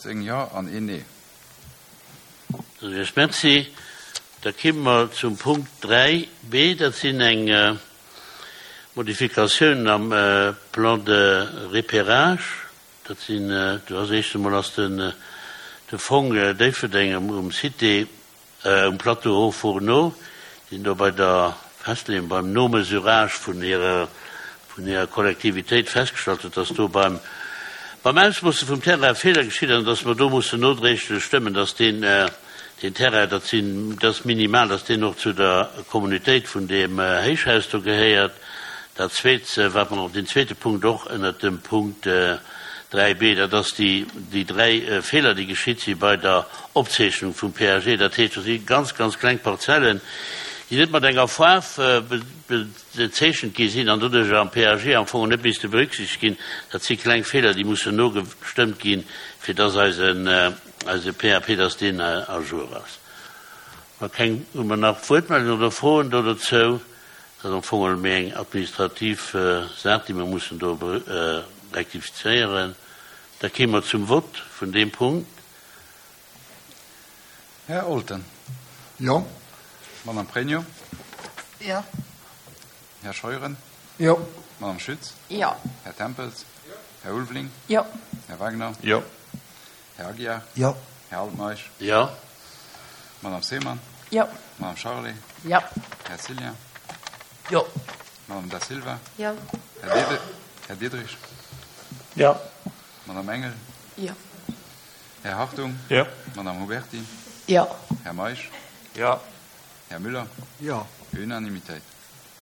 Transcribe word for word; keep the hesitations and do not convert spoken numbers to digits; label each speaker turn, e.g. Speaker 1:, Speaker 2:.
Speaker 1: Zéng Jo an een Nee.
Speaker 2: Da soen ech Merci. Da kimme mer zum Punkt dräi B. Dat sinn eng Modifikatiounen am Plan de repérage. Dat sinn, do ass éischt emol ass den de Fong Déifferdeng um Cité, um Plateau Hauts Fourneaux, deen do bei der Festleeung, beim Nomesurage vun hirer vun hirer Kollektivitéit festgestallt huet, dass do beim beim Ausmoosse vum Terrain e Feeler geschitt ass an dass mer do mussen nodréiglech stëmmen, dass deen deen Terrain, dat sinn, dat ass minimal, dass deen och zu der Communautéit vun deem Héichhaus do gehéiert. Dat Zweet, wat mer och, deen zweete Punkt och ënnert dem Punkt dräi b, dat ass déi, déi dräi Feeler, déi geschitt si bei der Opzeechnung vum P A G. Dat heescht, do si ganz, ganz kleng Parzellen, déi net mat enger Faarf bezeechent gi sinn an doduerch am P A G am Fong net misste berücksichtegt ginn. Dat si kleng Feeler, déi mussen nogestëmmt ginn, fir dass eisen, eise P A P, dass deen à jour ass. Wa keng, hu mer nach Wuertmeldungen oder Froen do dozou? Dat ass am Fong méi eng administrativ Saach, déi mer mussen do rektifizéieren. Da kéime mer zum Vott vun deem Punkt.
Speaker 1: Här Olten.
Speaker 3: Jo.
Speaker 1: Madame Pregno.
Speaker 4: Jo.
Speaker 1: Här Scheuren.
Speaker 3: Jo.
Speaker 1: Madame Schütz.
Speaker 4: Jo.
Speaker 1: Här Tempels. Jo. Här Ulveling.
Speaker 4: Jo.
Speaker 1: Här Wagner.
Speaker 5: Jo.
Speaker 1: Här Aguiar.
Speaker 3: Jo.
Speaker 1: Här Altmeisch.
Speaker 2: Jo.
Speaker 1: Madame Seemann.
Speaker 4: Jo.
Speaker 1: Madame Charlé.
Speaker 4: Jo.
Speaker 1: Här Cillien.
Speaker 2: Jo.
Speaker 1: Madame Da Silva.
Speaker 4: Jo.
Speaker 1: Här Diederich. Här Diederich.
Speaker 5: Jo.
Speaker 1: Madame Engel.
Speaker 4: Jo.
Speaker 1: Här Hartung.
Speaker 5: Jo.
Speaker 1: Madame Huberti.
Speaker 4: Jo.
Speaker 1: Här Meisch.
Speaker 5: Jo.
Speaker 1: Här Müller.
Speaker 3: Jo.
Speaker 1: Unanimitéit.